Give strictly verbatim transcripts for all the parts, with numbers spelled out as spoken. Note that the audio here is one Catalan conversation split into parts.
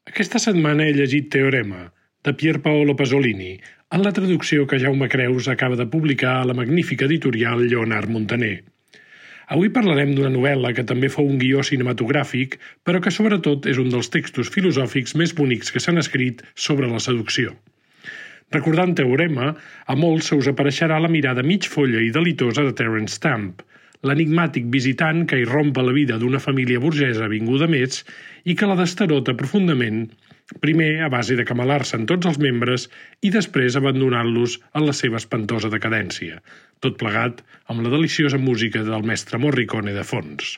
Aquesta setmana he llegit Teorema, de Pier Paolo Pasolini, en la traducció que Jaume Creus acaba de publicar a la magnífica editorial Lleonard Montaner. Avui parlarem d'una novel·la que també fou un guió cinematogràfic, però que sobretot és un dels textos filosòfics més bonics que s'han escrit sobre la seducció. Recordant Teorema, a molts se us apareixerà la mirada mig folla i delitosa de Terence Stamp, l'enigmàtic visitant que irrompa la vida d'una família burgesa vinguda més i que la destarota profundament, primer a base de camelar-se en tots els membres i després abandonant-los en la seva espantosa decadència, tot plegat amb la deliciosa música del mestre Morricone de fons.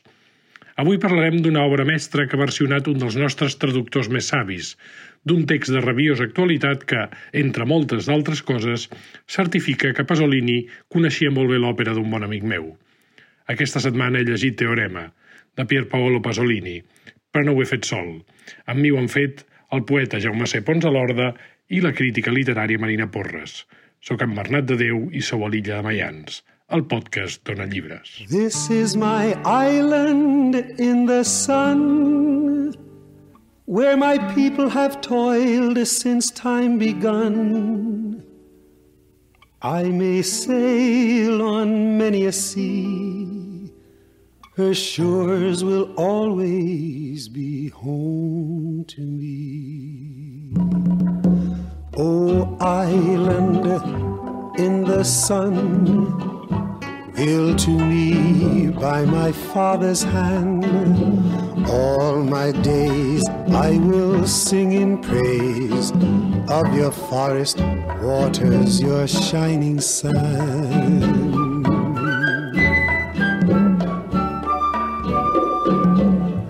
Avui parlarem d'una obra mestra que ha versionat un dels nostres traductors més savis, d'un text de rabiosa actualitat que, entre moltes d'altres coses, certifica que Pasolini coneixia molt bé l'òpera d'un bon amic meu. Aquesta setmana he llegit Teorema, de Pier Paolo Pasolini, però no ho he fet sol. Amb mi ho han fet el poeta Jaume C. Pons a l'Horda i la crítica literària Marina Porres. Soc en Bernat de Déu i sou a l'Illa de Maians, el podcast Dona Llibres. This is my island in the sun, where my people have toiled since time begun. I may sail on many a sea, her shores will always be home to me. O island in the sun, built to me by my father's hand, all my days I will sing in praise of your forest waters, your shining sun.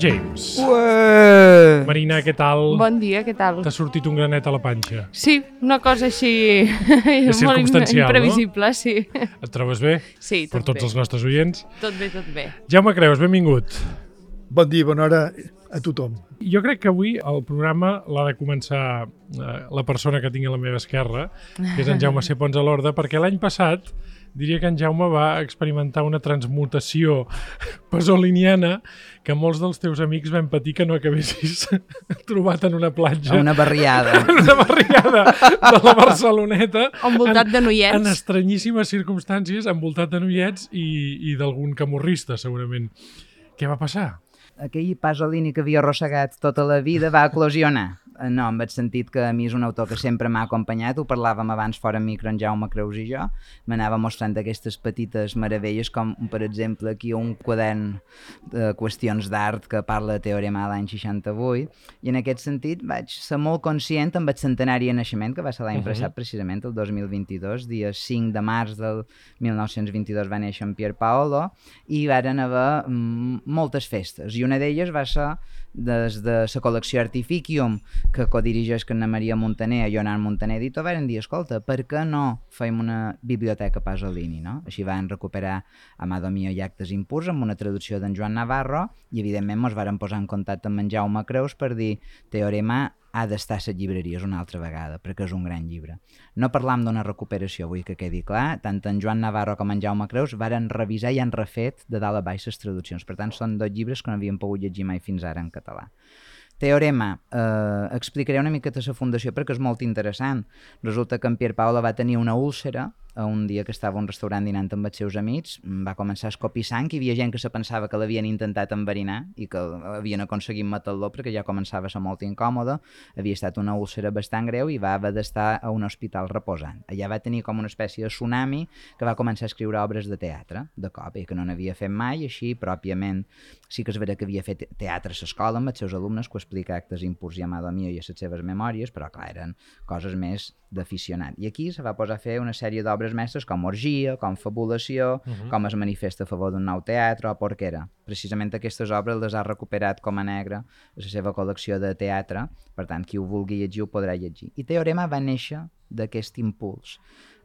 James. Ué! Marina, què tal? Bon dia, què tal? T'ha sortit un granet a la panxa. Sí, una cosa així molt circumstancial, imprevisible, no? Sí. Et trobes bé? Sí, tot per tots bé. els nostres oients? Tot bé, tot bé. Jaume Creus, benvingut. Bon dia, bona hora a tothom. Jo crec que avui el programa l'ha de començar eh, la persona que tinc a la meva esquerra, que és en Jaume C. Pons a l'Horda, perquè l'any passat diria que en Jaume va experimentar una transmutació pasoliniana que molts dels teus amics van patir que no acabessis trobat en una platja. A una barriada. En una barriada de la Barceloneta. Envoltat de noiets. En estranyíssimes circumstàncies, envoltat de noiets i, i d'algun camorrista, segurament. Què va passar? Aquell Pasolini que havia arrossegat tota la vida va eclosionar. No, en el sentit que a mi és un autor que sempre m'ha acompanyat, ho parlàvem abans fora micro en Jaume Creus i jo, m'anava mostrant aquestes petites meravelles, com per exemple aquí un quadern de qüestions d'art que parla de Teorema de l'any seixanta-vuit, i en aquest sentit vaig ser molt conscient amb el centenari de naixement, que va ser l'any uh-huh. passat precisament, el dos mil vint-i-dos, dia cinc de març del mil nou-cents vint-i-dos va néixer en Pier Paolo, i varen haver mm, moltes festes, i una d'elles va ser des de la col·lecció Artificium, que codirigeix que Anna Maria Montaner, Lleonard Montaner editor, varen dir, escolta, per què no fem una biblioteca Pasolini, no? Així van recuperar Amado Mio i Actes impurs amb una traducció d'en Joan Navarro i evidentment ens varen posar en contacte amb en Jaume Creus per dir Teorema ha d'estar a les llibreries una altra vegada, perquè és un gran llibre. No parlam d'una recuperació, vull que quedi clar, tant en Joan Navarro com en Jaume Creus varen revisar i han refet de dalt a baix les traduccions, per tant són dos llibres que no havien pogut llegir mai fins ara en català. Teorema, eh, explicaré una miqueta la fundació perquè és molt interessant. Resulta que en Pier Paolo va tenir una úlcera un dia que estava a un restaurant dinant amb els seus amics, va començar a escopir sang i hi havia gent que se pensava que l'havien intentat enverinar i que havien aconseguit matar-lo perquè ja començava a ser molt incòmode, havia estat una úlcera bastant greu i va haver d'estar a un hospital reposant. Allà va tenir com una espècie de tsunami que va començar a escriure obres de teatre, de cop, i que no n'havia fet mai, així pròpiament sí que és vera que havia fet teatre a l'escola amb els seus alumnes, que ho explica Actes impurs i Amado Mio i a les seves memòries, però clar, eren coses més d'aficionat. I aquí se va posar a fer una sèrie d'obres mestres com Orgia, com Fabulació, uh-huh. com Es manifesta a favor d'un nou teatre o Porquera. Precisament aquestes obres les ha recuperat com a negre a la seva col·lecció de teatre, per tant, qui ho vulgui llegir ho podrà llegir. I Teorema va néixer d'aquest impuls.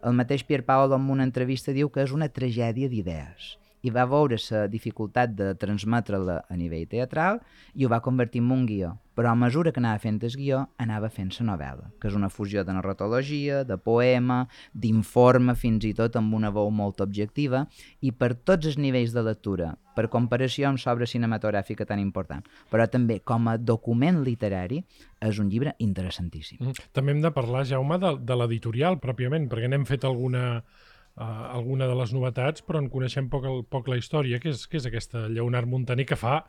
El mateix Pier Paolo en una entrevista diu que és una tragèdia d'idees i va veure la dificultat de transmetre-la a nivell teatral i ho va convertir en un guió. Però a mesura que anava fent el guió, anava fent la novel·la, que és una fusió de narratologia, de poema, d'informe, fins i tot amb una veu molt objectiva, i per tots els nivells de lectura, per comparació amb l'obra cinematogràfica tan important, però també com a document literari, és un llibre interessantíssim. Mm. També hem de parlar, Jaume, de, de l'editorial, pròpiament, perquè n'hem fet alguna... Uh, alguna de les novetats, però en coneixem poc, el, poc la història, que és, que és aquesta Lleonard Montaner, que fa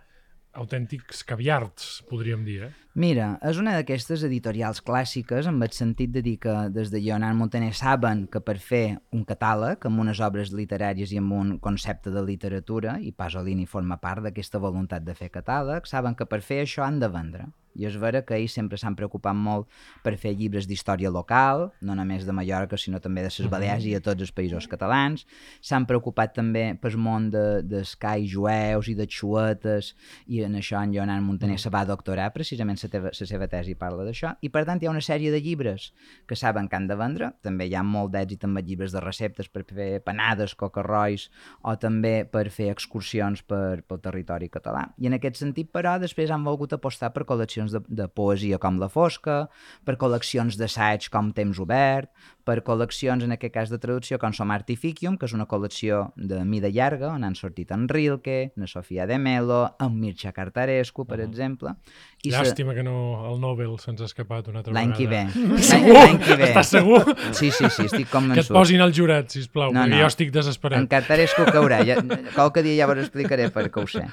autèntics caviards, podríem dir, eh? Mira, és una d'aquestes editorials clàssiques amb el sentit de dir que des de Lleonard Montaner saben que per fer un catàleg amb unes obres literàries i amb un concepte de literatura, i Pasolini forma part d'aquesta voluntat de fer catàleg, saben que per fer això han de vendre. I és vera que ells sempre s'han preocupat molt per fer llibres d'història local, no només de Mallorca, sinó també de les Balears i de tots els països catalans. S'han preocupat també pel món de, dels cais jueus i de xuetes, i en això en Lleonard Montaner se va doctorar, precisament la, teva, la seva tesi parla d'això, i per tant hi ha una sèrie de llibres que saben que han de vendre. També hi ha molt d'èxit amb llibres de receptes per fer panades, cocarrois, o també per fer excursions per, pel territori català. I en aquest sentit, però, després han volgut apostar per col·leccions De, de poesia com La Fosca, per col·leccions d'assaig com Temps Obert, per col·leccions, en aquest cas de traducció, com Som Artificium, que és una col·lecció de mida llarga, on han sortit en Rilke, en Sofia de Melo, en Mircea Cartarescu, per uh -huh. exemple. I Llàstima se... que no el Nobel se'ns ha escapat una altra L'any que ve. L'any que ve. Estàs segur? Sí, sí, sí, estic convençut. Que et posin al jurat, sisplau, no, perquè no. Jo estic desesperat. En Cartarescu caurà. Ja, qualque dia ja vos explicaré per què ho sé.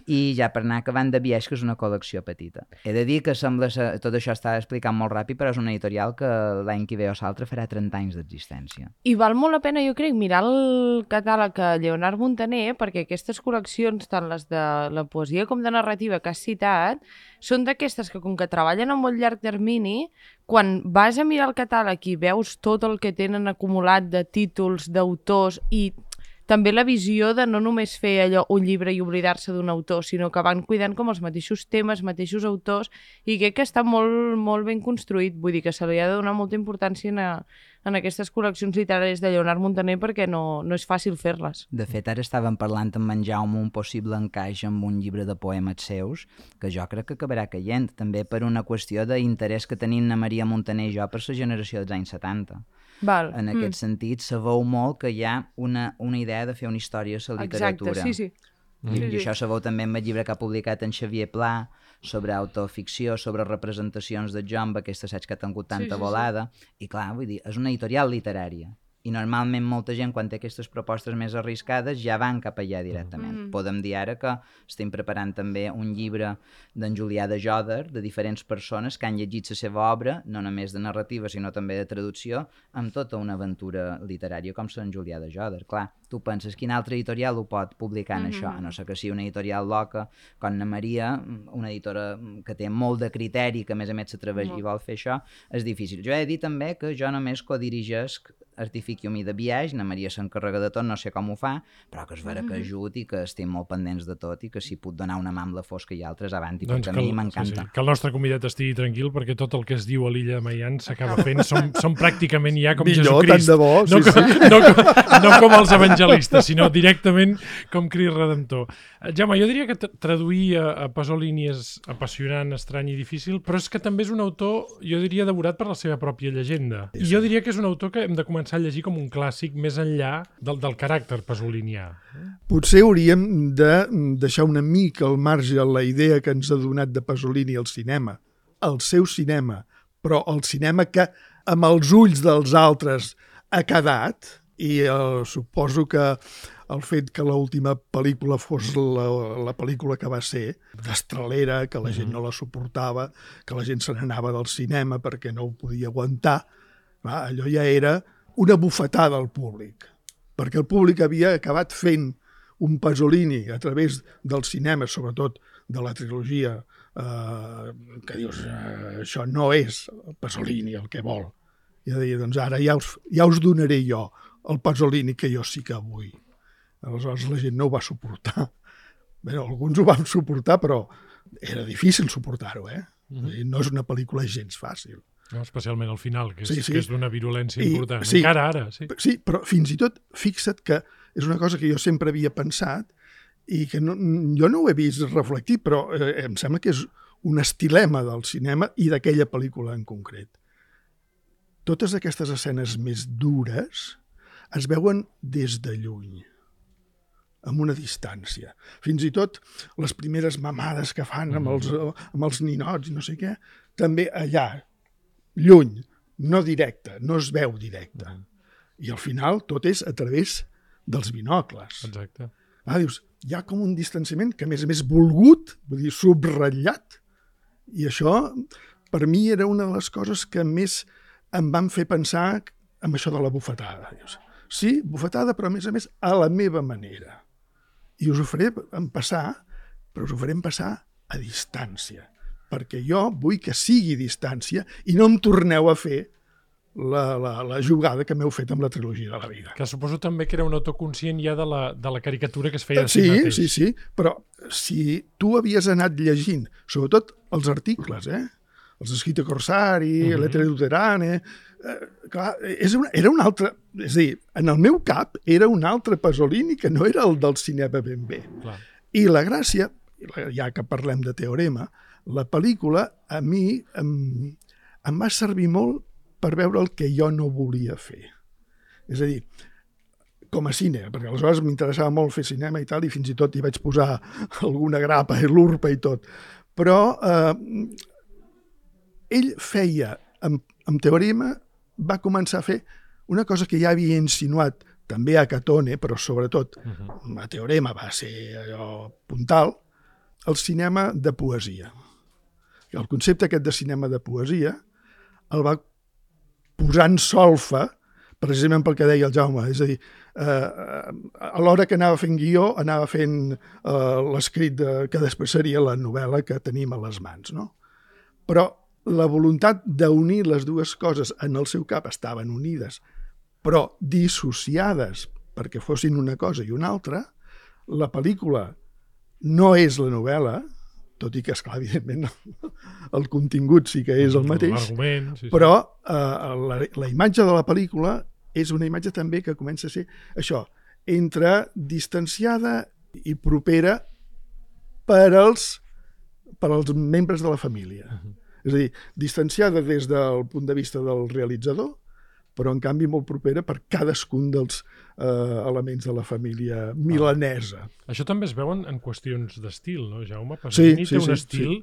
I ja per anar acabant de Biaix, que és una col·lecció petita. He de dir que sembla ser, tot això està explicant molt ràpid, però és una editorial que l'any que ve o l'altre farà trenta anys d'existència. I val molt la pena, jo crec, mirar el catàleg de Lleonard Montaner, perquè aquestes col·leccions, tant les de la poesia com de narrativa que has citat, són d'aquestes que, com que treballen a molt llarg termini, quan vas a mirar el catàleg i veus tot el que tenen acumulat de títols, d'autors i també la visió de no només fer allò un llibre i oblidar-se d'un autor, sinó que van cuidant com els mateixos temes, mateixos autors, i crec que està molt, molt ben construït. Vull dir que se li ha de donar molta importància en, a, en aquestes col·leccions literàries de Lleonard Montaner perquè no, no és fàcil fer-les. De fet, ara estàvem parlant amb en Jaume un possible encaix amb un llibre de poemes seus, que jo crec que acabarà caient, també per una qüestió d'interès que tenim na Maria Montaner i jo per la generació dels anys setanta. Val. En aquest mm. sentit, se veu molt que hi ha una, una idea de fer una història a la literatura. Exacte, sí, sí. I, sí, I això se veu també en el llibre que ha publicat en Xavier Pla sobre autoficció, sobre representacions de jo amb aquest assaig que ha tingut tanta sí, sí, volada. Sí. I clar, vull dir, és una editorial literària. I normalment molta gent, quan té aquestes propostes més arriscades, ja van cap allà directament. Mm. Podem dir ara que estem preparant també un llibre d'en Julià de Joder, de diferents persones que han llegit la seva obra, no només de narrativa, sinó també de traducció, amb tota una aventura literària com Sant Julià de Joder. Clar, tu penses, quin altre editorial ho pot publicar en mm-hmm. això? A no ser que sigui una editorial loca, com na Maria, una editora que té molt de criteri, que a més a més s'atreveix mm. i vol fer això, és difícil. Jo he de dir també que jo només codirigesc Artificium i de Biaix, na Maria s'encarrega de tot, no sé com ho fa, però que és vera que ajut i que estem molt pendents de tot i que si puc donar una mà amb La Fosca i altres avanti, doncs perquè a mi m'encanta. Sí, sí. Que el nostre convidat estigui tranquil perquè tot el que es diu a l'illa de Maian s'acaba fent, som, som pràcticament ja com Millor, Jesucrist. Tant de bo, sí, no, sí. Com, no, com, no com els evangelistes, sinó directament com Crist Redentor. Jaume, jo diria que traduir a, a Pasolini és apassionant, estrany i difícil, però és que també és un autor, jo diria, devorat per la seva pròpia llegenda. I jo diria que és un autor que hem de començar a llegir com un clàssic més enllà del, del caràcter pasolinià. Potser hauríem de deixar una mica al marge la idea que ens ha donat de Pasolini al cinema, el seu cinema, però el cinema que amb els ulls dels altres ha quedat, i eh, suposo que el fet que l'última pel·lícula fos la, la pel·lícula que va ser, destralera, que la gent no la suportava, que la gent se n'anava del cinema perquè no ho podia aguantar, va, allò ja era una bufetada al públic, perquè el públic havia acabat fent un Pasolini a través del cinema, sobretot de la trilogia, eh, que dius, eh, això no és Pasolini el que vol. I de dir, doncs ara ja us, ja us donaré jo el Pasolini que jo sí que vull. Aleshores la gent no ho va suportar. Bé, alguns ho van suportar, però era difícil suportar-ho, eh? Mm-hmm. No és una pel·lícula gens fàcil. No, especialment al final, que és, sí, sí. que és d'una virulència I, important. Sí, encara ara, sí. Sí, però fins i tot fixa't que és una cosa que jo sempre havia pensat i que no, jo no ho he vist reflectit, però eh, em sembla que és un estilema del cinema i d'aquella pel·lícula en concret. Totes aquestes escenes més dures es veuen des de lluny, amb una distància. Fins i tot les primeres mamades que fan amb els, amb els ninots i no sé què, també allà, lluny, no directe, no es veu directe. I al final tot és a través dels binocles. Exacte. Ah, dius, hi ha com un distanciament que a més a més volgut, vull dir, subratllat, i això per mi era una de les coses que més em van fer pensar en això de la bufetada. Dius, sí, bufetada, però a més a més a la meva manera. I us ho faré passar, però us ho farem passar a distància, perquè jo vull que sigui distància i no em torneu a fer la, la, la jugada que m'heu fet amb la trilogia de la vida. Que suposo també que era un autoconscient ja de la, de la caricatura que es feia de si sí, mateix. Sí, sí, però si tu havies anat llegint, sobretot els articles, eh? els escrits de Corsari, uh -huh. l'Etere Luterane, eh, clar, és una, era un altre... És a dir, en el meu cap era un altre Pasolini que no era el del cinema ben bé. Clar. I la gràcia, ja que parlem de Teorema, la pel·lícula a mi em, em va servir molt per veure el que jo no volia fer. És a dir, com a cine, perquè aleshores m'interessava molt fer cinema i tal, i fins i tot hi vaig posar alguna grapa i l'urpa i tot. Però eh, ell feia, amb, amb Teorema, va començar a fer una cosa que ja havia insinuat també a Catone, però sobretot uh-huh. a Teorema va ser allò puntal, el cinema de poesia. El concepte aquest de cinema de poesia el va posar en solfa, precisament pel que deia el Jaume, és a dir, eh, a l'hora que anava fent guió, anava fent eh, l'escrit de, que després seria la novel·la que tenim a les mans, no? Però la voluntat d'unir les dues coses en el seu cap estaven unides, però dissociades perquè fossin una cosa i una altra. La pel·lícula no és la novel·la, tot i que, esclar, evidentment, el contingut sí que és el mateix, sí, sí. però eh, la, la imatge de la pel·lícula és una imatge també que comença a ser això, entre distanciada i propera per als, per als membres de la família. Uh-huh. És a dir, distanciada des del punt de vista del realitzador, però en canvi molt propera per cadascun dels eh, elements de la família milanesa. Ah. Això també es veuen en qüestions d'estil, no, Jaume? Pasolini sí, sí, té un sí, estil sí.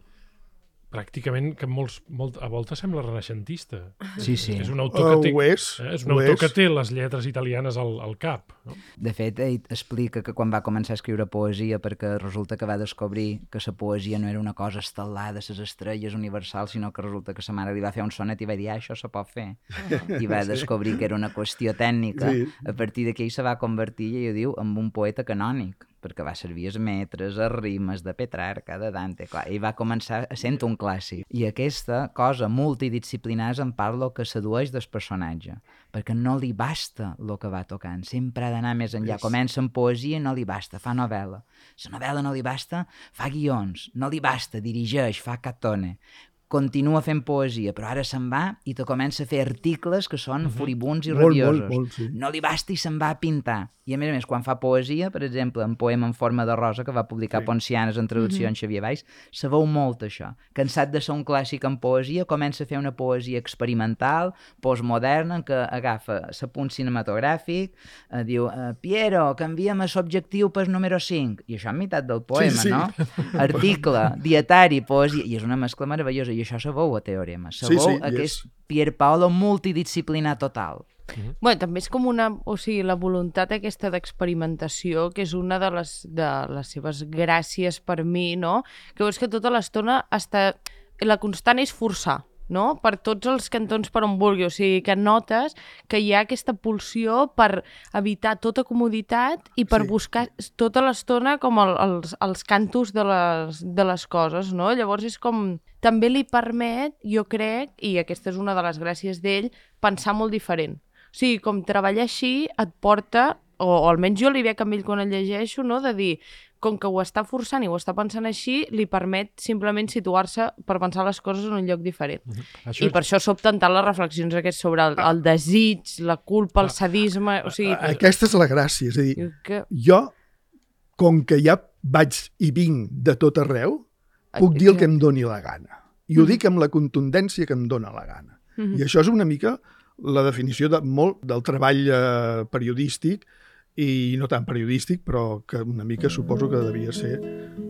pràcticament que molts, molt, a voltes sembla renaixentista. Sí, sí. És un autor que té, uh, és, eh, és un autor és. que té les lletres italianes al, al cap. No? De fet, ell explica que quan va començar a escriure poesia, perquè resulta que va descobrir que la poesia no era una cosa estel·lada, les estrelles universals, sinó que resulta que sa mare li va fer un sonet i va dir, ah, això se pot fer. I va descobrir que era una qüestió tècnica. Sí. A partir d'aquí ell se va convertir, i ho diu, en un poeta canònic, perquè va servir els metres, els rimes de Petrarca, de Dante, clar, ell va començar sent un clàssic. I aquesta cosa multidisciplinària en parla que sedueix del personatge, perquè no li basta el que va tocant, sempre ha d'anar més enllà. Comença amb poesia, no li basta, fa novel·la. La novel·la no li basta, fa guions, no li basta, dirigeix, fa Catone. Continua fent poesia, però ara se'n va i te comença a fer articles que són uh-huh. furibuns i molt, rabiosos. Molt, molt, sí. No li basta i se'n va a pintar. I a més a més, quan fa poesia, per exemple, en Poema en forma de rosa, que va publicar sí. Poncianes en traducció uh-huh. en Xavier Valls, se veu molt això. Cansat de ser un clàssic en poesia, comença a fer una poesia experimental, postmoderna, en què agafa l'apunt cinematogràfic, eh, diu, eh, Piero, canviem l'objectiu pel número cinc. I això en meitat del poema, sí, sí. no? Article, dietari, poesia, i és una mescla meravellosa. I això se veu a Teorema. Se sí, veu sí, aquest yes. Pierpaolo multidisciplinar total. Uh-huh. Bueno, també és com una... O sigui, la voluntat aquesta d'experimentació, que és una de les, de les seves gràcies per mi, no? Que veus que tota l'estona està... La constant és forçar, no? Per tots els cantons per on vulgui. O sigui, que notes que hi ha aquesta pulsió per evitar tota comoditat i per sí. buscar tota l'estona com el, els, els cantos de les, de les coses, no? Llavors és com... També li permet, jo crec, i aquesta és una de les gràcies d'ell, pensar molt diferent. O sigui, com treballar així et porta, o, o almenys jo li veig amb ell quan el llegeixo, no? De dir, com que ho està forçant i ho està pensant així, li permet simplement situar-se per pensar les coses en un lloc diferent. Uh -huh. Això I és... per això sobten tant les reflexions aquestes sobre el, el desig, la culpa, el sadisme... O sigui... Aquesta és la gràcia, és a dir, que... jo, com que ja vaig i vinc de tot arreu, puc dir el que em doni la gana. I ho uh -huh. dic amb la contundència que em dona la gana. Uh -huh. I això és una mica la definició de molt del treball eh, periodístic, i no tan periodístic, però que una mica suposo que devia ser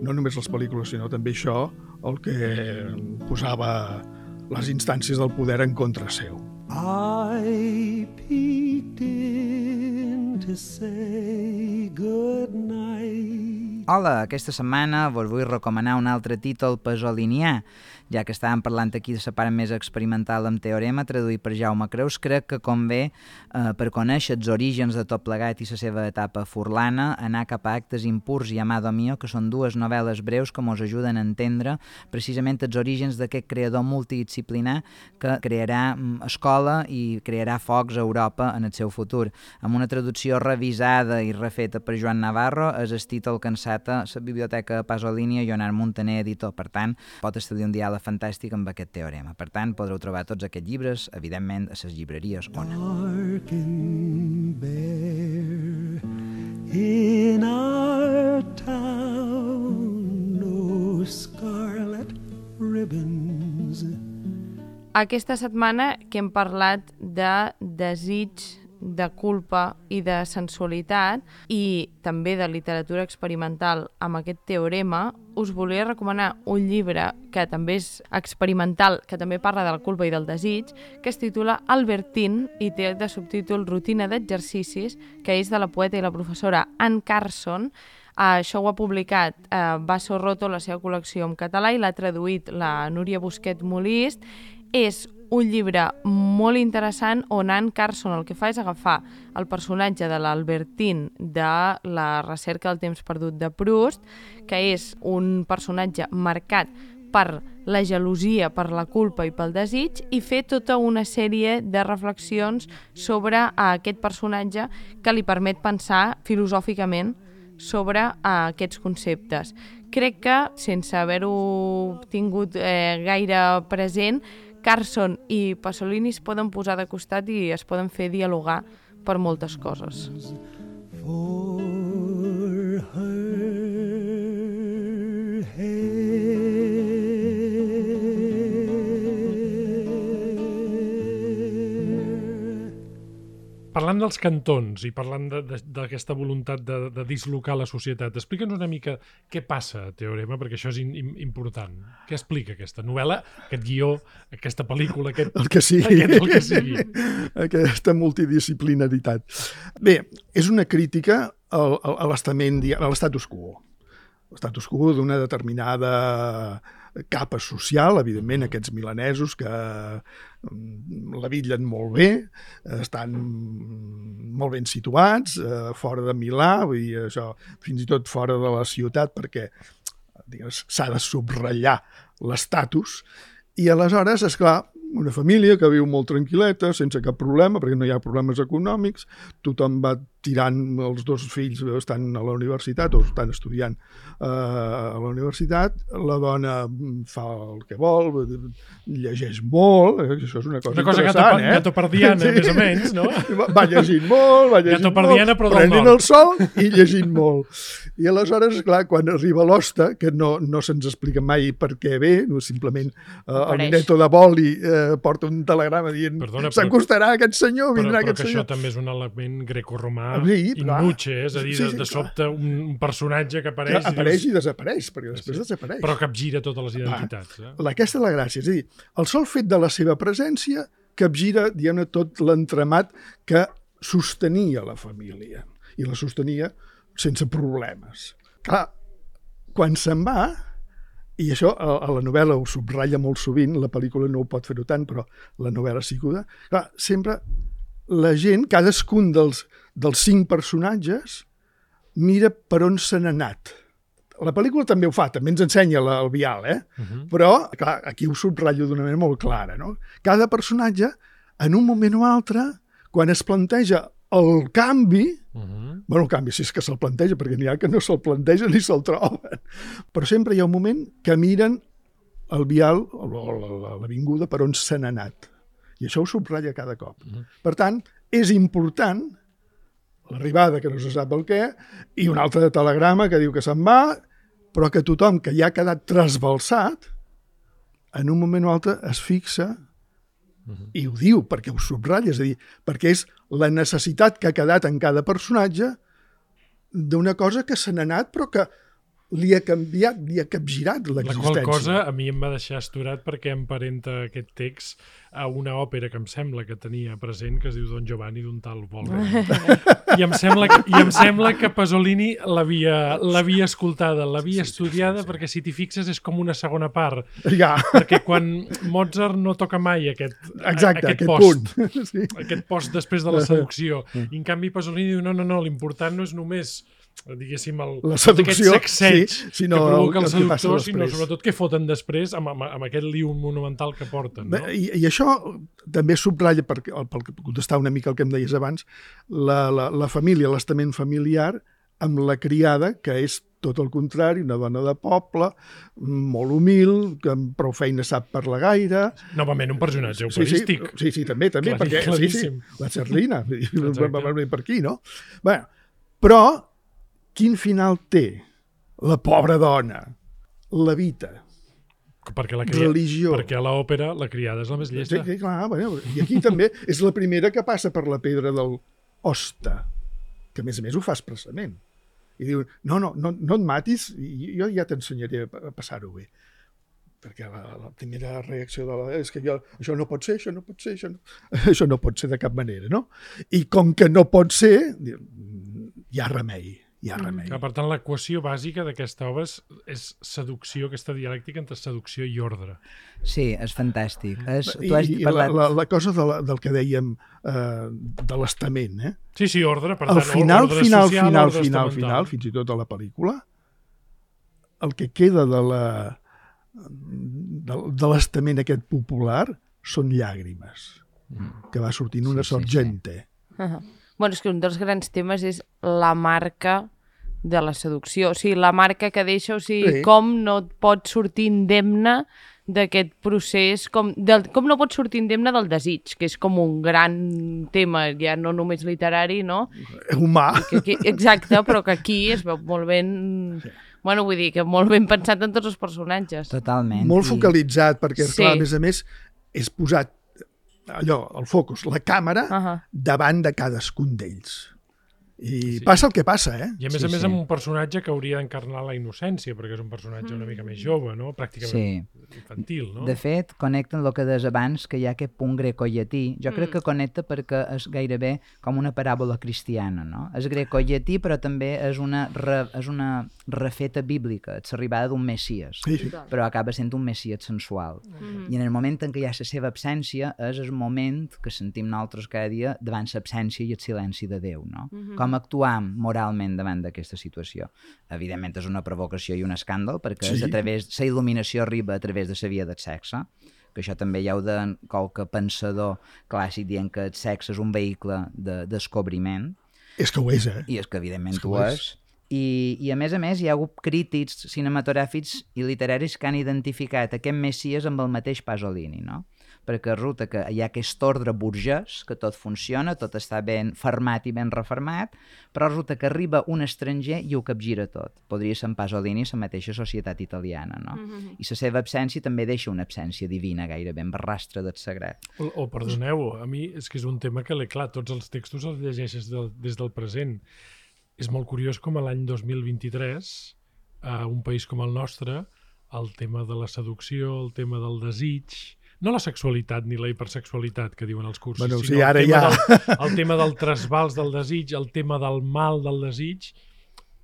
no només les pel·lícules, sinó també això el que posava les instàncies del poder en contra seu. I peeked in to say good night. Hola, aquesta setmana vos vull recomanar un altre títol pasolinià. Ja que estàvem parlant aquí de la part més experimental amb Teorema, traduït per Jaume Creus, crec que convé, eh, per conèixer els orígens de tot plegat i la seva etapa furlana, anar cap a Actes impurs i Amado Mío, que són dues novel·les breus que ens ajuden a entendre precisament els orígens d'aquest creador multidisciplinar que crearà escola i crearà focs a Europa en el seu futur. Amb una traducció revisada i refeta per Joan Navarro, és el títol que enceta la Biblioteca Pasolini i Lleonard Muntaner, editor. Per tant, pot establir un diàleg fantàstic amb aquest teorema. Per tant, podreu trobar tots aquests llibres, evidentment, a les llibreries Ona. Dark and bare in our town, no scarlet ribbons. Aquesta setmana que hem parlat de desig, de culpa i de sensualitat i també de literatura experimental amb aquest teorema, us volia recomanar un llibre que també és experimental, que també parla de la culpa i del desig, que es titula Albertine i té de subtítol Rutina d'exercicis, que és de la poeta i la professora Anne Carson. Uh, això ho ha publicat uh, Basso Roto, la seva col·lecció en català, i l'ha traduït la Núria Busquet Molist. És un llibre molt interessant on Anne Carson el que fa és agafar el personatge de l'Albertine de la recerca del temps perdut de Proust, que és un personatge marcat per la gelosia, per la culpa i pel desig, i fer tota una sèrie de reflexions sobre aquest personatge que li permet pensar filosòficament sobre aquests conceptes. Crec que, sense haver-ho tingut eh, gaire present, Carson i Pasolini es poden posar de costat i es poden fer dialogar per moltes coses. For her hair. Parlant dels cantons i parlant d'aquesta voluntat de, de dislocar la societat, explica'ns una mica què passa a Teorema, perquè això és in, in, important. Què explica aquesta novel·la, aquest guió, aquesta pel·lícula, aquest... El que sigui. Aquest, el que sigui. Aquesta multidisciplinaritat. Bé, és una crítica al, al, a l'estament, a l'estatus quo. L'estatus quo d'una determinada capa social, evidentment, aquests milanesos que la bitllen molt bé, estan molt ben situats, fora de Milà, vull dir, això, fins i tot fora de la ciutat, perquè s'ha de subratllar l'estatus, i aleshores, esclar, una família que viu molt tranquil·leta, sense cap problema, perquè no hi ha problemes econòmics, tothom va tirant, els dos fills estan a la universitat o estan estudiant uh, a la universitat, la dona fa el que vol, llegeix molt, eh? Això és una cosa, una cosa interessant, gato, eh? Gatopardiana, sí. Més o menys, no? Va llegint molt, va llegint molt, prenent el sol i llegint molt. I aleshores, clar, quan arriba l'hoste, que no, no se'ns explica mai per què ve, no, simplement uh, el Mineto de Boli eh, porta un telegrama dient s'acostarà aquest senyor, vindrà però, aquest però senyor. Però que això també és un element grecorromà sí, innuche, és a dir, sí, sí, de, de sobte un, un personatge que apareix... Que apareix i, i desapareix, perquè després sí. desapareix. Però capgira totes les identitats. Eh? Aquesta és la gràcia, és a dir, el sol fet de la seva presència capgira, diguem-ne, tot l'entramat que sostenia la família, i la sostenia sense problemes. Clar, quan se'n va, i això a, a la novel·la ho subratlla molt sovint, la pel·lícula no ho pot fer-ho tant, però la novel·la sí que ho da, clar, sempre la gent, cadascun dels, dels cinc personatges, mira per on se n'ha anat. La pel·lícula també ho fa, també ens ensenya la, el vial, eh? Uh-huh. Però, clar, aquí ho subratllo d'una manera molt clara, no? Cada personatge, en un moment o altre, quan es planteja el canvi, Uh -huh. bueno, el canvi, si és que se'l planteja, perquè n'hi ha que no se'l planteja ni se'l troben, però sempre hi ha un moment que miren el vial o l'avinguda per on se n'ha anat. I això ho subratlla cada cop. Uh -huh. Per tant, és important l'arribada, que no se sap el què, i un altre telegrama que diu que se'n va, però que tothom que ja ha quedat trasbalsat, en un moment o altre es fixa i ho diu, perquè ho subratlla, és a dir, perquè és la necessitat que ha quedat en cada personatge d'una cosa que se n'ha anat, però que li ha canviat, li ha capgirat La l'existència. qual cosa a mi em va deixar asturat perquè emparenta aquest text a una òpera que em sembla que tenia present, que es diu Don Giovanni d'un tal Wolfgang. I em sembla que, i em sembla que Pasolini l'havia l'havia escoltada, l'havia Sí, sí, estudiada, sí, sí. perquè si t'hi fixes és com una segona part. Ja, Perquè quan Mozart no toca mai aquest, exacte, aquest, aquest post, punt. Sí. aquest post després de la seducció. I en canvi Pasolini diu, no, no, no, l'important no és només diguéssim, el, La seducció, aquest sacseig sí, sinó que provoca el- el, el que passa seductor, sinó després. sobretot què foten després amb, amb, amb aquest liu monumental que porten. No? Bé, I, I això també subratlla, per, per contestar una mica el que em deies abans, la, la, la família, l'estament familiar, amb la criada, que és tot el contrari, una dona de poble, molt humil, que amb prou feina sap parlar gaire. Novament un personatge Sí, sí, operístic. sí, sí, també, també, Clarí- perquè sí, sí, claríssim. la Cerlina, Exacte. va venir per aquí, no? Bé, però quin final té la pobra dona? Levita, Perquè, la cria... religió. perquè a l'òpera la criada és la més Sí, llesta. sí, clar, bueno, i aquí també és la primera que passa per la pedra del hoste, que a més a més ho fa expressament. I diu, no, no, no, no et matis, i jo ja t'ensenyaré a passar-ho bé. Perquè la, la primera reacció de la és que jo, això no pot ser, això no pot ser, això no, això no pot ser de cap manera, no? I com que no pot ser, diu, hi ha remei, hi ha remei. Clar, per tant, l'equació bàsica d'aquesta obra és, és seducció, aquesta dialèctica entre seducció i ordre. Sí, és fantàstic. És, I, tu has i parlat... la, la, la cosa de la, del que dèiem eh, de l'estament, eh? Sí, sí, ordre, per Al tant, final, ordre final, social, final, ordre final, estamental. final, fins i tot a la pel·lícula, el que queda de la de, de l'estament aquest popular són llàgrimes, que va sortint una Sí, sí, sí. sorgente. Uh-huh. Bueno, és que un dels grans temes és la marca de la seducció. O sigui, la marca que deixa, o sigui, Sí. com no et pot sortir indemne d'aquest procés, com, del, com no pot sortir indemne del desig, que és com un gran tema, ja no només literari, no? Humà. Que, que, exacte, però que aquí es veu molt ben... Bueno, vull dir que molt ben pensat en tots els personatges. Totalment. Molt I- focalitzat, perquè, Sí. clar, a més a més, és posat allò, el focus, la càmera, Ahà. davant de cadascun d'ells. I Sí. passa el que passa, eh? I a més Sí, a més sí. amb un personatge que hauria d'encarnar la innocència, perquè és un personatge una mica més jove, no? Pràcticament Sí. infantil, no? De fet, connecten el que deies abans, que hi ha aquest punt grecollatí. Jo crec que connecta perquè és gairebé com una paràbola cristiana, no? És grecollatí, però també és una, re, és una refeta bíblica, és l'arribada d'un Messies, Sí, sí. però acaba sent un Messies sensual. I en el moment en què hi ha la seva absència, és el moment que sentim nosaltres cada dia davant l'absència i el silenci de Déu, no? Com actuam moralment davant d'aquesta situació. Evidentment és una provocació i un escàndol, perquè Sí. és a través, la il·luminació arriba a través de la via del sexe, que això també hi ha de qualque pensador clàssic dient que el sexe és un vehicle de descobriment, És que ho és, eh? i és que evidentment És que ho ho és. és. I, I a més a més hi ha hagut crítics cinematogràfics i literaris que han identificat aquest Messies amb el mateix Pasolini, no? Perquè resulta que hi ha aquest ordre burgès, que tot funciona, tot està ben fermat i ben reformat, però resulta que arriba un estranger i ho capgira tot. Podria ser en Pasolini la mateixa societat italiana, no? Mm-hmm. I la seva absència també deixa una absència divina gairebé, amb rastre del sagrat. O, o perdoneu, a mi és que és un tema que, clar, tots els textos els llegeixes del, des del present. És molt curiós com a l'any dos mil vint-i-tres, a un país com el nostre, el tema de la seducció, el tema del desig, no la sexualitat ni la hipersexualitat que diuen els cursos, Bueno, sí, sinó ara el, tema ja. del, el tema del trasbals del desig, el tema del mal del desig,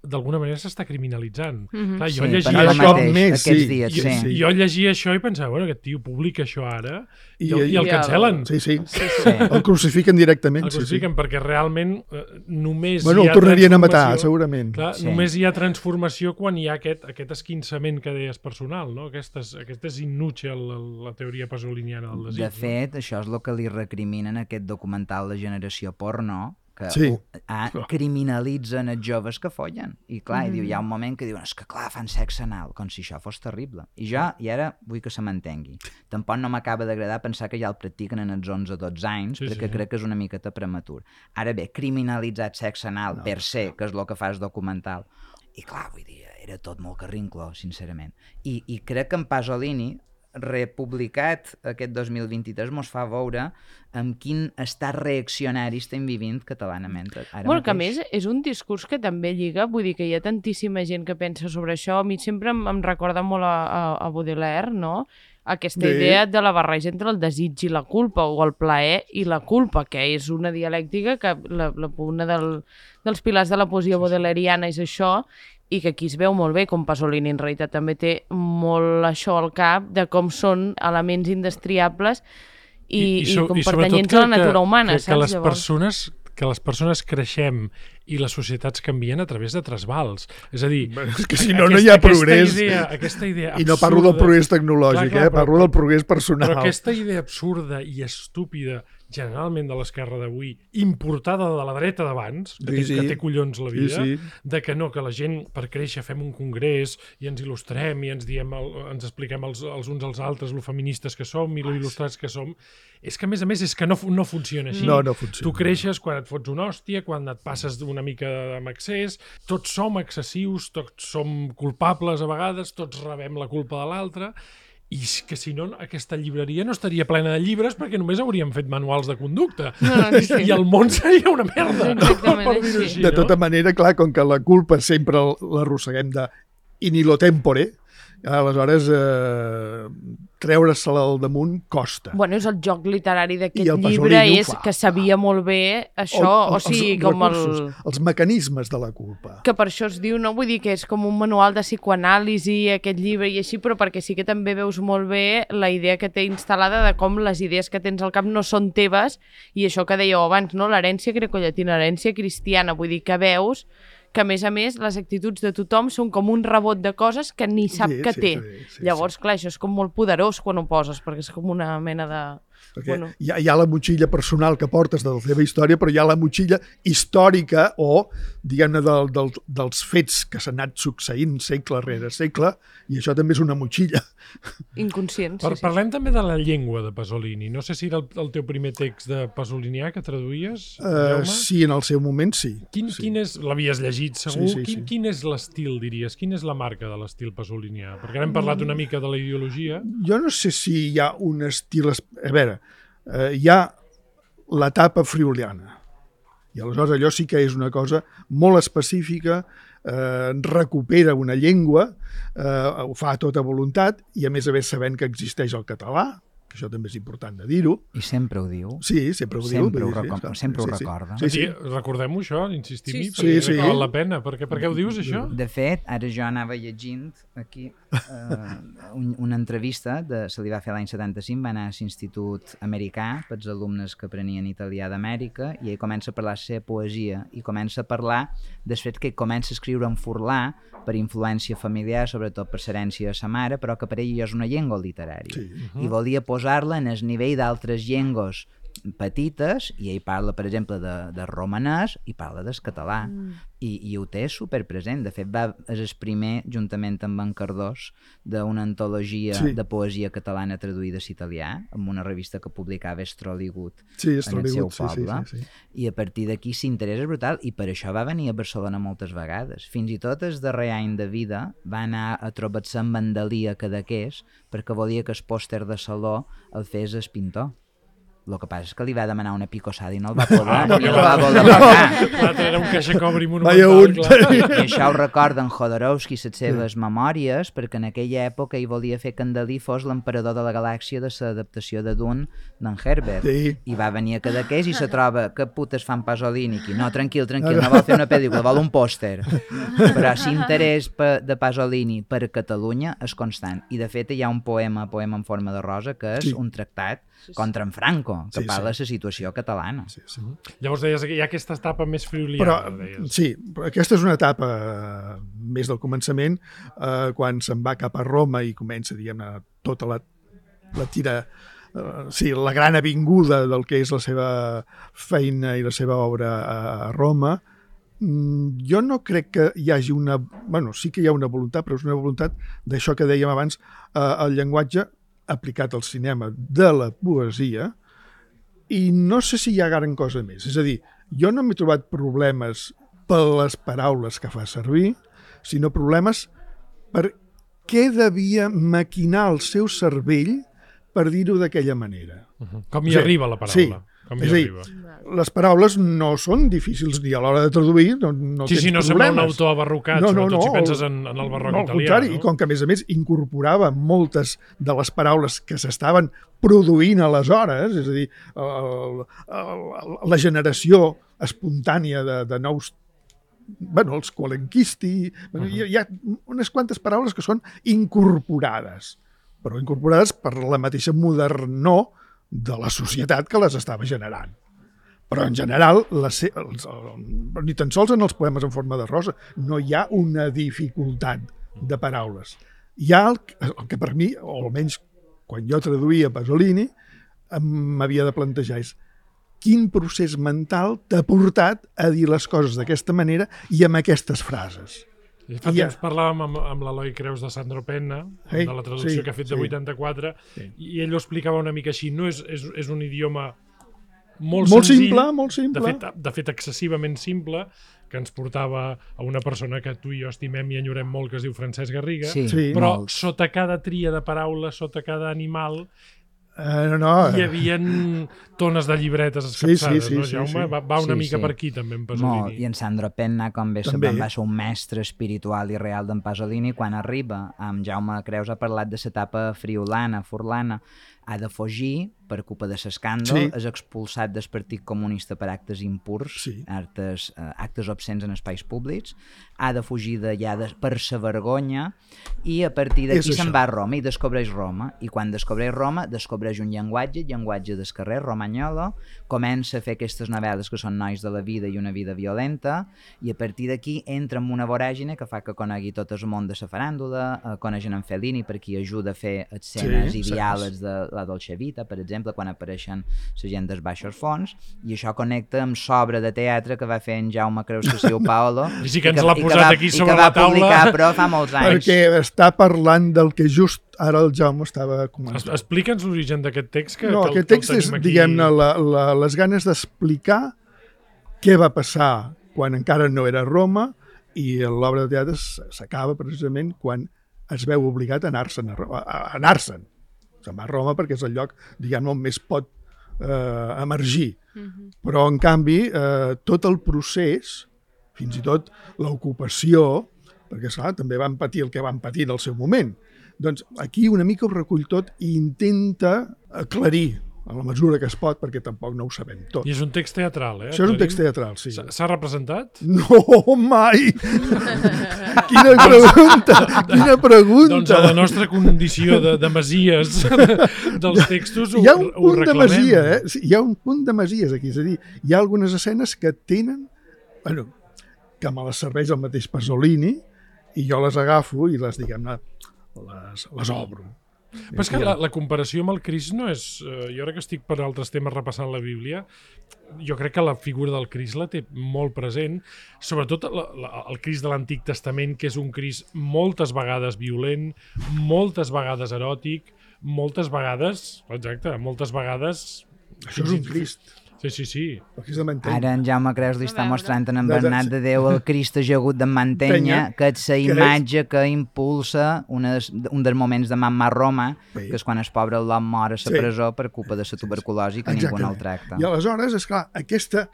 d'alguna manera s'està criminalitzant. Mhm. Clar, jo Sí, llegia per ara això- això, mateix, més, aquests sí. dies, jo, sí. sí. jo llegia això i pensava, bueno, aquest tio publica això ara i, I- el, i el i el- cancel·len. Sí, sí. Sí. El crucifiquen directament. El Sí, sí. crucifiquen perquè realment eh, només Bueno, hi el ha tornarien a matar, transformació- segurament. Clar, Sí. només hi ha transformació quan hi ha aquest, aquest esquinçament que deies personal, no? Aquestes, aquestes innutge la, la teoria pasoliniana del desig. De fet, això és el que li recriminen a aquest documental de generació porno, que Sí. ah, criminalitzen els joves que follen. I clar, mm. diu, hi ha un moment que diuen, és que clar, fan sexe anal, com si això fos terrible. I jo, i ara vull que se m'entengui. Tampoc no m'acaba d'agradar pensar que ja el practiquen en els onze dotze anys, Sí, perquè sí. crec que és una miqueta prematur. Ara bé, criminalitzat sexe anal No. per se, que és el que fa el documental. I clar, vull dir, era tot molt carrincló, sincerament. I, i crec que en Pasolini, republicat aquest dos mil vint-i-tres, mos fa veure amb quin estat reaccionari estem vivint catalanament ara Bueno, que a mateix. més és un discurs que també lliga, vull dir que hi ha tantíssima gent que pensa sobre això. A mi sempre em, em recorda molt a, a, a Baudelaire, no? Aquesta Sí. idea de la barreja entre el desig i la culpa, o el plaer i la culpa, que és una dialèctica que la, la, una del, dels pilars de la poesia baudelairiana és això, i que aquí es veu molt bé, com Pasolini en realitat també té molt això al cap, de com són elements indestriables i, i, so- com sobretot pertanyents que- a la natura que- humana, que, saps? que les Llavors? persones que les persones creixem i les societats canvien a través de trasbals. És a dir, És que si no, no hi ha progrés. Aquesta idea, aquesta idea I no parlo del absurda- progrés tecnològic, Clar, clar, eh? però- Parlo del progrés personal. Però aquesta idea absurda i estúpida, generalment de l'esquerra d'avui, importada de la dreta d'abans, que, Sí, té, sí. que té collons la Sí, vida, sí. de que no, que la gent per créixer fem un congrés i ens il·lustrem i ens diem el, ens expliquem els, els uns als altres lo feministes que som i lo il·lustrats que som. És que, a més a més, és que no, fu- no funciona així. No, no funciona. Tu creixes quan et fots una hòstia, quan et passes una mica amb excés, tots som excessius, tots som culpables a vegades, tots rebem la culpa de l'altre, i és que si no, aquesta llibreria no estaria plena de llibres perquè només hauríem fet manuals de conducta. No, no, sí. I el món seria una merda, Exactament per dir-ho així. així. De no? tota manera, clar, com que la culpa sempre l'arrosseguem de in illo tempore, aleshores eh, treure-se-la al damunt costa. Bueno, és el joc literari I d'aquest el llibre, Pasolini ho és fa. que sabia molt bé això, o, sigui, com el... recursos, els mecanismes de la culpa. Que per això es diu, no? Vull dir que és com un manual de psicoanàlisi, aquest llibre i així, però perquè sí que també veus molt bé la idea que té instal·lada de com les idees que tens al cap no són teves, i això que dèieu abans, no? L'herència grecollatina, l'herència cristiana, vull dir que veus que, a més a més, les actituds de tothom són com un rebot de coses que ni sap Sí, que sí, té. sí, sí, Llavors, clar, això és com molt poderós quan ho poses, perquè és com una mena de... Perquè Bueno. hi, ha, hi ha la motxilla personal que portes de la teva història, però hi ha la motxilla històrica o, diguem-ne, del, del, dels fets que s'han anat succeint segle rere segle, i això també és una motxilla. Inconscient, Per, sí, sí. parlem també de la llengua de Pasolini. No sé si era el, el teu primer text de pasolinià que traduïes, Uh, Jaume? sí, en el seu moment sí. Quin, sí. quin és, l'havies llegit segur, Sí, sí, quin, sí. quin és l'estil, diries? Quin és la marca de l'estil pasolinià? Perquè ara hem parlat una mica de la ideologia. Jo no sé si hi ha un estil... es- A veure, eh, hi ha l'etapa friuliana. I aleshores allò sí que és una cosa molt específica, eh, recupera una llengua, eh, ho fa a tota voluntat, i a més a més sabent que existeix el català, que això també és important de dir-ho. I sempre ho diu. Sí, sempre ho diu. Sempre ho vull dir, recom- clar. sempre ho recorda. Sí, sí. Sí, recordem-ho, això, insistim-hi, Sí, sí. perquè Sí, sí. val la pena. Perquè, per què ho dius, això? De fet, ara jo anava llegint aquí eh, un, una entrevista, de, se li va fer l'any setanta-cinc, va anar a l'Institut Americà pels alumnes que aprenien italià d'Amèrica, i ell comença a parlar de la seva poesia i comença a parlar del fet que ell comença a escriure en furlà per influència familiar, sobretot per l'herència de sa mare, però que per ell és una llengua literària. Sí. I volia posar-la en el nivell d'altres llengües petites, i ell parla, per exemple, de, de romanès i parla del català, mm. I, i ho té superpresent. De fet, va, és el primer, juntament amb en Cardós, d'una antologia Sí. de poesia catalana traduïda a l'italià, amb una revista que publicava Estroligut Sí, és en el seu Trollywood, sí, sí, poble, sí, sí. i a partir d'aquí s'interès és brutal, i per això va venir a Barcelona moltes vegades. Fins i tot el darrer any de vida va anar a trobar-se amb en Dalí a Cadaqués perquè volia que el pòster de saló el fes el pintor. El que passa és que li va demanar una picossada i no el va poder, Ah, i perquè el va va- voler pagar. L'altre era un caixacobri Vaya monumental, un. clar. I, I això ho recorda en Jodorowsky, les seves memòries, perquè en aquella època ell volia fer que en Dalí fos l'emperador de la galàxia de l'adaptació de Dune d'en Herbert. Sí. I va venir a Cadaqués i se troba que putes fan Pasolini aquí. No, tranquil, tranquil, no vol fer una pel·lícula, vol un pòster. Però l'interès de Pasolini per Catalunya és constant. I de fet hi ha un poema, poema en forma de rosa, que és Sí. un tractat contra en Franco, que Sí, parla de sí. la situació catalana. Sí, sí. Llavors deies que hi ha aquesta etapa més Però, friuliana, deies. sí, però aquesta és una etapa eh, més del començament, eh, quan se'n va cap a Roma i comença, diguem-ne, tota la, la tira uh, sí, la gran avinguda del que és la seva feina i la seva obra a, a Roma, mm, jo no crec que hi hagi una... Bueno, sí que hi ha una voluntat, però és una voluntat d'això que dèiem abans, uh, el llenguatge aplicat al cinema de la poesia, i no sé si hi ha gran cosa més. És a dir, jo no m'he trobat problemes per les paraules que fa servir, sinó problemes per què devia maquinar el seu cervell per dir-ho d'aquella manera. Uh -huh. Com hi Sí, arriba la paraula? sí. Com És hi a dir, arriba? les paraules no són difícils ni a l'hora de traduir, no, no Sí, tens sí, no sembla un problemes. autor abarrocat, No, no, sobretot no, si penses el- en, en el barroc No, al italià. contrari, no? i com que a més a més incorporava moltes de les paraules que s'estaven produint aleshores, és a dir, el, el, la generació espontània de, de nous, bueno, els qualenquisti, bueno, hi, ha- hi ha unes quantes paraules que són incorporades, però incorporades per la mateixa modernor de la societat que les estava generant. Però en general, la se... els, el... ni tan sols en els poemes en forma de rosa, no hi ha una dificultat de paraules. Hi ha el, el que per mi, o almenys quan jo traduïa Pasolini, m'havia de plantejar és quin procés mental t'ha portat a dir les coses d'aquesta manera i amb aquestes frases. I fa I ja- temps parlàvem amb, amb l'Eloi Creus de Sandro Penna, Sí, de la traducció sí, que ha fet de sí. vuitanta-quatre, Sí. i ell ho explicava una mica així. No és, és, és un idioma molt, Molt senzill, simple, molt de simple. fet, de fet excessivament simple, que ens portava a una persona que tu i jo estimem i enyorem molt, que es diu Francesc Garriga, Sí, Sí. però molts. sota cada tria de paraules, sota cada animal, Eh, no, no, hi havia tones de llibretes Sí, escapçades, sí, sí, no, sí, Jaume? sí. Va, va una Sí, mica sí. per aquí, també, en Molt, Pasolini. i en Sandro Penna, com bé També. sabem, va ser un mestre espiritual i real d'en Pasolini. Quan arriba, amb Jaume Creus ha parlat de l'etapa friolana, furlana, ha de fugir per culpa de l'escàndol, Sí. és expulsat del Partit Comunista per actes impurs, Sí. actes, eh, actes obscens en espais públics, ha de fugir d'allà de, per sa vergonya, i a partir d'aquí És se'n això. va a Roma i descobreix Roma, i quan descobreix Roma descobreix un llenguatge, el llenguatge del carrer romagnolo, comença a fer aquestes novel·les que són nois de la vida i una vida violenta, i a partir d'aquí entra en una voràgine que fa que conegui tot el món de la faràndula, eh, coneixen en Fellini per qui ajuda a fer escenes Sí, i sí. diàlegs de la Dolce Vita, per exemple, quan apareixen la gent dels baixos fons, i això connecta amb l'obra de teatre que va fer en Jaume Creus que siu Paolo, I sí que ens i l'ha i posat va, aquí i sobre que va la taula. publicar, però fa molts anys. perquè està parlant del que just ara el Jaume estava Es, comentant. explica'ns l'origen d'aquest text. Que, No, que, el- aquest que el text és, tenim aquí. diguem-ne, la, la, les ganes d'explicar què va passar quan encara no era Roma, i l'obra de teatre s- s'acaba precisament quan es veu obligat a anar-se'n. A, Ro- a, a anar-se'n. Se'n va a Roma perquè és el lloc, diguem-ne, on més pot eh, emergir. Però, en canvi, eh, tot el procés, fins i tot l'ocupació, perquè, esclar, també van patir el que van patir en el seu moment. Doncs aquí una mica ho recull tot i intenta aclarir a la mesura que es pot, perquè tampoc no ho sabem tot. I és un text teatral, eh? Això és un Aclarim? text teatral, sí. S'ha- S'ha representat? No, mai! Quina pregunta! Quina pregunta! Doncs a la nostra condició de, de masies dels textos ho, Hi ha un ho punt de reclamem. masia, eh? Sí, hi ha un punt de masies aquí, és a dir, hi ha algunes escenes que tenen, bueno, que me les serveix el mateix Pasolini, i jo les agafo i les, diguem-ne, les, les obro. Però és que la, la comparació amb el Crist no és... Eh, jo ara que estic per altres temes repassant la Bíblia, jo crec que la figura del Crist la té molt present, sobretot la, la, el Crist de l'Antic Testament, que és un Crist moltes vegades violent, moltes vegades eròtic, moltes vegades, exacte, moltes vegades... Això és un Crist. Sí, sí, sí. El Crist de Mantenya. Ara en Jaume Creus li està A veure. mostrant en en De- de- Bernat de Déu el Crist ajagut de Mantenya, Penya, que és la és- imatge que impulsa una, des- un dels moments de Mamma Roma, Sí. que és quan el pobre l'hom mor a la Sí. presó per culpa de la tuberculosi, que ningú no el tracta. I aleshores, és clar, aquesta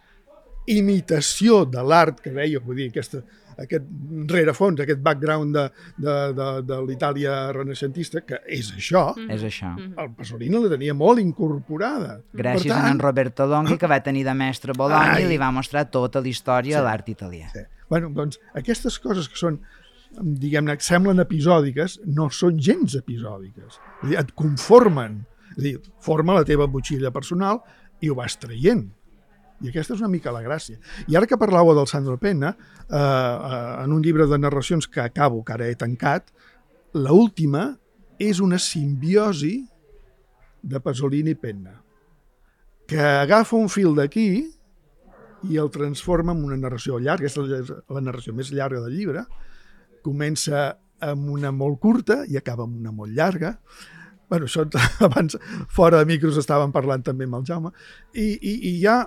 imitació de l'art que deia, vull dir, aquesta, aquest rerefons, aquest background de, de, de, de l'Itàlia renaixentista, que és això, És això. el Pasolini la tenia molt incorporada. Gràcies Per a tant, en Roberto Longhi, que va tenir de mestre a Bologna Ai. i li va mostrar tota la història de l'art italià. Sí. Bueno, doncs, aquestes coses que són, diguem-ne, que semblen episòdiques, no són gens episòdiques. És a dir, et conformen. És a dir, forma la teva motxilla personal i ho vas traient. I aquesta és una mica la gràcia. I ara que parlàveu del Sandro Penna, eh, eh, en un llibre de narracions que acabo, que ara he tancat, l'última és una simbiosi de Pasolini i Penna, que agafa un fil d'aquí i el transforma en una narració llarga. Aquesta és la narració més llarga del llibre. Comença amb una molt curta i acaba amb una molt llarga. Bueno, això abans, fora de micros, estàvem parlant també amb el Jaume. I, i, i hi ha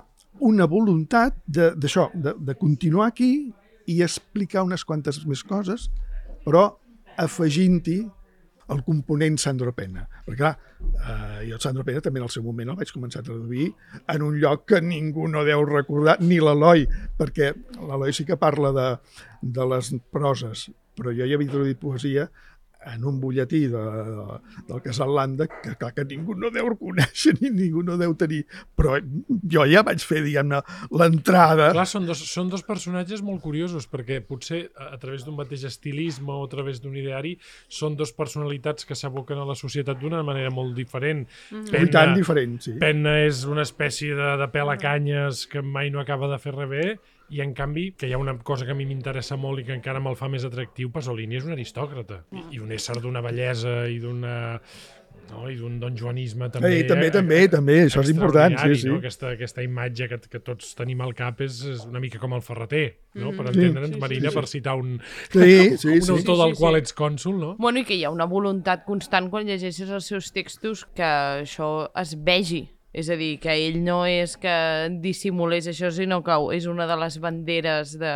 una voluntat d'això, de, de, de continuar aquí i explicar unes quantes més coses, però afegint-hi el component Sandro Penna. Perquè, clar, eh, jo Sandro Penna també en el seu moment el vaig començar a traduir en un lloc que ningú no deu recordar, ni l'Eloi, perquè l'Eloi sí que parla de, de les proses, però jo ja havia traduït poesia en un butlletí de, de, del Casal Landa, que clar que ningú no deu conèixer ni ningú no deu tenir, però jo ja vaig fer, diguem-ne, l'entrada. Clar, són dos, són dos personatges molt curiosos, perquè potser a, a través d'un mateix estilisme o a través d'un ideari són dos personalitats que s'aboquen a la societat d'una manera molt diferent. Mm-hmm. Penna, I tant diferent, sí. Penna és una espècie de, de pelacanyes que mai no acaba de fer res bé, i en canvi, que hi ha una cosa que a mi m'interessa molt i que encara me'l fa més atractiu, Pasolini és un aristòcrata i, i un ésser d'una bellesa i d'una... No? I d'un donjuanisme també. Ei, també, eh, també, també, això és important. Sí, sí. No? Aquesta, aquesta imatge que, que tots tenim al cap és, és una mica com el Ferreter, no? Mm. Per entendre'ns, sí, Marina, sí, sí. Per citar un, sí, sí, un sí, autor sí, del sí, qual sí. ets cònsul, no? Bueno, i que hi ha una voluntat constant quan llegeixes els seus textos que això es vegi. És a dir, que ell no és que dissimulés això, sinó que és una de les banderes de,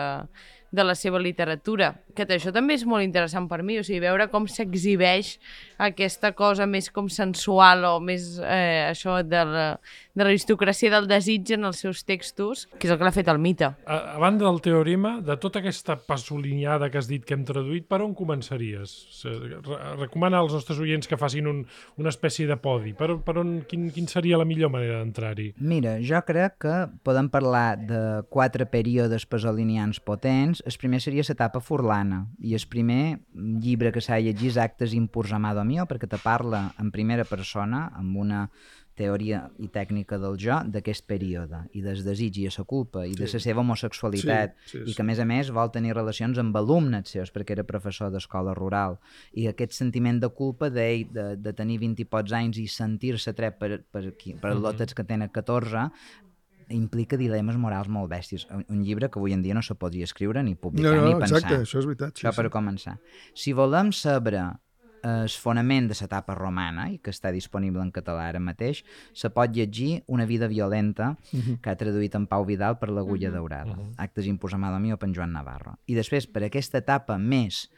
de la seva literatura. Que això també és molt interessant per mi, o sigui, veure com s'exhibeix aquesta cosa més com sensual o més eh, això de l'aristocràcia del desig en els seus textos, que és el que l'ha fet el mite. A, a banda del teorema, de tota aquesta pasoliniada que has dit que hem traduït, per on començaries? Re recomana als nostres oients que facin un, una espècie de podi. Per, per on, quin, quin seria la millor manera d'entrar-hi? Mira, jo crec que podem parlar de quatre períodes pasolinians potents. El primer seria l'etapa furlana, i el primer llibre que s'ha llegit és Actes impurs amado mio, perquè te parla en primera persona, amb una teoria i tècnica del jo, d'aquest període, i del desig i de la culpa, i de la seva homosexualitat, sí, sí, sí. I que a més a més vol tenir relacions amb alumnes seus, perquè era professor d'escola rural, i aquest sentiment de culpa d'ell, de, de tenir vint i pocs anys i sentir-se tret per, per, per, per lotes que tenen catorze, implica dilemes morals molt bèsties. Un llibre que avui en dia no se podria escriure ni publicar no, no, ni pensar. Exacte, això és veritat. Sí, això per sí. començar. Si volem saber el fonament de l'etapa romana, i que està disponible en català ara mateix, se pot llegir Una vida violenta, uh-huh. que ha traduït en Pau Vidal per l'Agulla uh-huh. daurada. Uh-huh. Actes impurs amado mio per en Joan Navarro. I després, per aquesta etapa més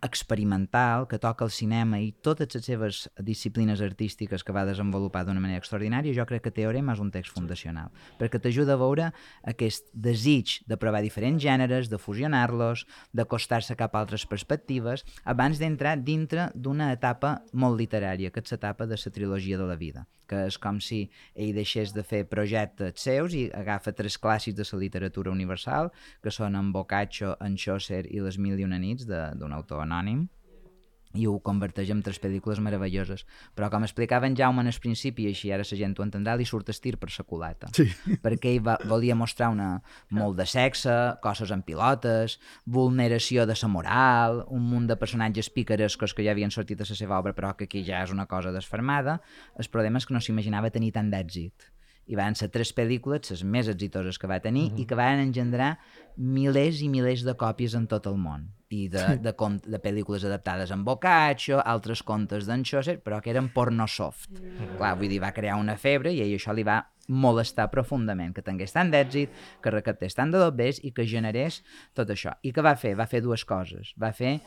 experimental, que toca el cinema i totes les seves disciplines artístiques que va desenvolupar d'una manera extraordinària, jo crec que Teorema és un text fundacional, perquè t'ajuda a veure aquest desig de provar diferents gèneres, de fusionar-los, d'acostar-se cap a altres perspectives, abans d'entrar dintre d'una etapa molt literària, que és l'etapa de la trilogia de la vida, que és com si ell deixés de fer projectes seus i agafa tres clàssics de la literatura universal, que són en Boccaccio, en Chaucer i Les mil i una nits, d'un autor anònim, i ho converteix en tres pel·lícules meravelloses. Però com explicava en Jaume en el principi, i així ara la gent ho entendrà, li surt el tir per la culata. Sí. Perquè ell va, volia mostrar una, molt de sexe, coses en pilotes, vulneració de la moral, un munt de personatges picarescos que ja havien sortit a la seva obra, però que aquí ja és una cosa desfermada. El problema és que no s'imaginava tenir tant d'èxit. I van ser tres pel·lícules, les més exitoses que va tenir, uh-huh. i que van engendrar milers i milers de còpies en tot el món. I de, de, de, de pel·lícules adaptades en Boccaccio, altres contes d'en Chaucer, però que eren porno soft. Uh-huh. Clar, vull dir, va crear una febre i a ell això li va molestar profundament, que tingués tant d'èxit, que recaptés tant de dobbers i que generés tot això. I què va fer? Va fer dues coses. Va fer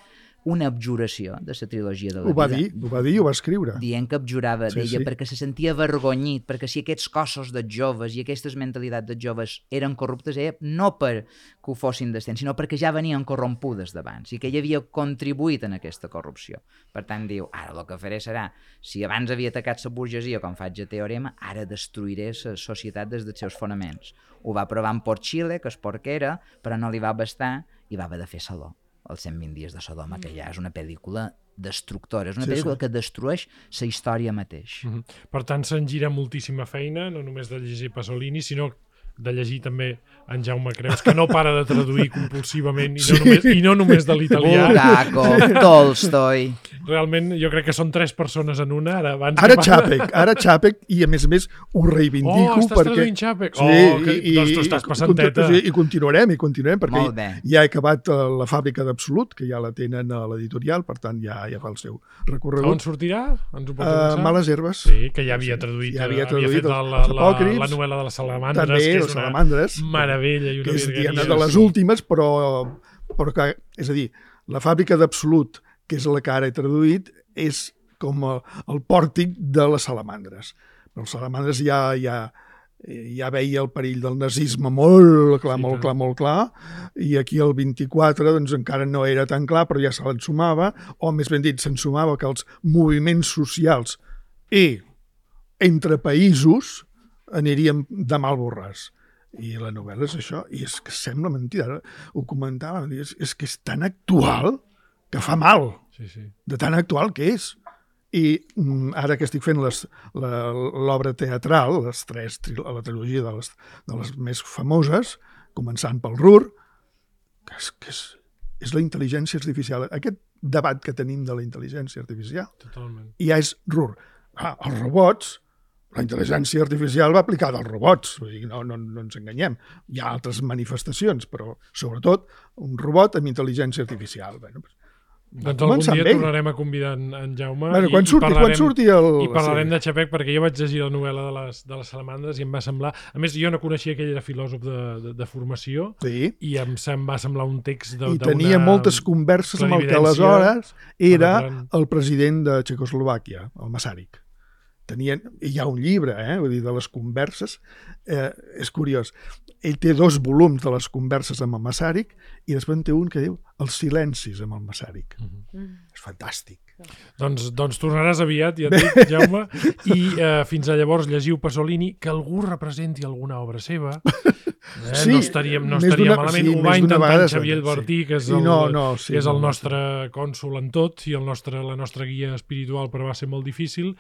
una abjuració de la trilogia de la ho va vida. Dir, ho va dir i ho va escriure. Dient que abjurava sí, d'ella sí. perquè se sentia avergonyit, perquè si aquests cossos de joves i aquestes mentalitats de joves eren corruptes, ella no per que ho fossin d'estent, sinó perquè ja venien corrompudes d'abans i que ella havia contribuït en aquesta corrupció. Per tant, diu, ara el que faré serà, si abans havia atacat la burgesia, com faig a Teorema, ara destruiré la societat des dels seus fonaments. Ho va provar en Port Xile, que és porquera, però no li va bastar i va haver de fer Saló. Els cent vint dies de Sodoma, que ja és una pel·lícula destructora, és una sí, pel·lícula sí. que destrueix la història mateix. Mm-hmm. Per tant, se'n gira moltíssima feina, no només de llegir Pasolini, sinó de llegir també en Jaume Creus, que no para de traduir compulsivament i no, sí. només, i no només de l'italià. Bulgakov, Tolstoi... Realment, jo crec que són tres persones en una. Ara, abans Ara que... Chapek, ara Chapek, i a més a més ho reivindico. Oh, estàs perquè... traduint Chapek? Sí, Oh, que... i, doncs tu estàs passant i, teta. I, i continuarem, i continuarem, perquè Molt bé. ja he acabat uh, la fàbrica d'Absolut, que ja la tenen a l'editorial, per tant ja ja fa el seu recorregut. On sortirà? Ens ho pots Uh, avançar? Males herbes. Sí, que ja havia traduït, ja havia havia traduït fet la, la, els la, apòcrifs, la novel·la de les salamandres, també que és les una salamandres, meravella i una que és virgueria. una de les últimes, però, però que, és a dir, la fàbrica d'Absolut, que és la que ara he traduït, és com el, el pòrtic de les salamandres. Però els salamandres ja, ja, ja veia el perill del nazisme molt clar, Sí, molt tant. clar, molt clar, i aquí el vint-i-quatre doncs, encara no era tan clar, però ja se l'ensumava, o més ben dit, s'ensumava que els moviments socials i entre països aniríem de mal borràs. I la novel·la és això, i és que sembla mentida, ara ho comentava, és, és que és tan actual que fa mal, Sí, sí. de tan actual que és. I mm, ara que estic fent les- la- l'obra teatral, les tres, tri- la trilogia de les, de les més famoses, començant pel Ruhr, que és, que és, és la intel·ligència artificial. Aquest debat que tenim de la intel·ligència artificial Totalment. ja és Ruhr. Ah, els robots, la intel·ligència artificial va aplicada als robots, vull dir, no, no, no ens enganyem. Hi ha altres manifestacions, però sobretot un robot amb intel·ligència artificial. Bueno, Doncs algun començar dia amb ell. tornarem a convidar en, en Jaume Bueno, i, quan, i surti, parlarem, quan surti el... i parlarem sí. de Chapek, perquè jo vaig llegir la novel·la de les, de les salamandres i em va semblar... A més, jo no coneixia que ell era filòsof de, de, de formació Sí. i em, em va semblar un text de, I tenia moltes converses amb el que aleshores era penetrant. el president de Txecoslovàquia, el Masaryk. Tenien, i hi ha un llibre, eh, vull dir, de les converses, eh, és curiós. Ell té dos volums de les converses amb el Masaryk i després en té un que diu els silencis amb el Masaryk. Mhm. És fantàstic. Doncs, doncs tornaràs aviat, ja et dic, Jaume, i eh, fins a llavors llegiu Pasolini, que algú representi alguna obra seva. Eh? Sí, no estaríem, no més estaríem d'una- malament. sí, Ho més va d'una intentar vegada en Xavier sí. Albertí, que és I el, no, no, sí, que és el no, no, nostre cònsol en tot i el nostre, la nostra guia espiritual, però va ser molt difícil,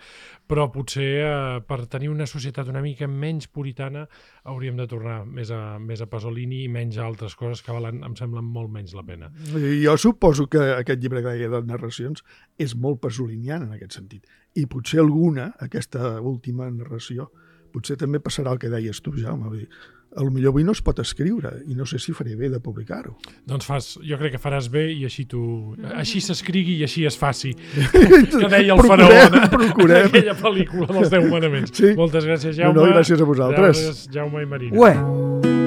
però potser eh, per tenir una societat una mica menys puritana hauríem de tornar més a, més a Pasolini i menys a altres coses que valen, em semblen molt menys la pena. Jo suposo que aquest llibre que deia de narracions és molt pasoliniana en aquest sentit. I potser alguna, aquesta última narració, potser també passarà el que deies tu, Jaume. Vull dir, potser avui no es pot escriure i no sé si faré bé de publicar-ho. Doncs fas, jo crec que faràs bé i així tu, així s'escrigui i així es faci. Que deia el Procurem, faraó en procurem. aquella pel·lícula dels Deu Manaments. Sí. Moltes gràcies, No, Jaume. no, gràcies a vosaltres. Gràcies, Jaume i Marina. Ué,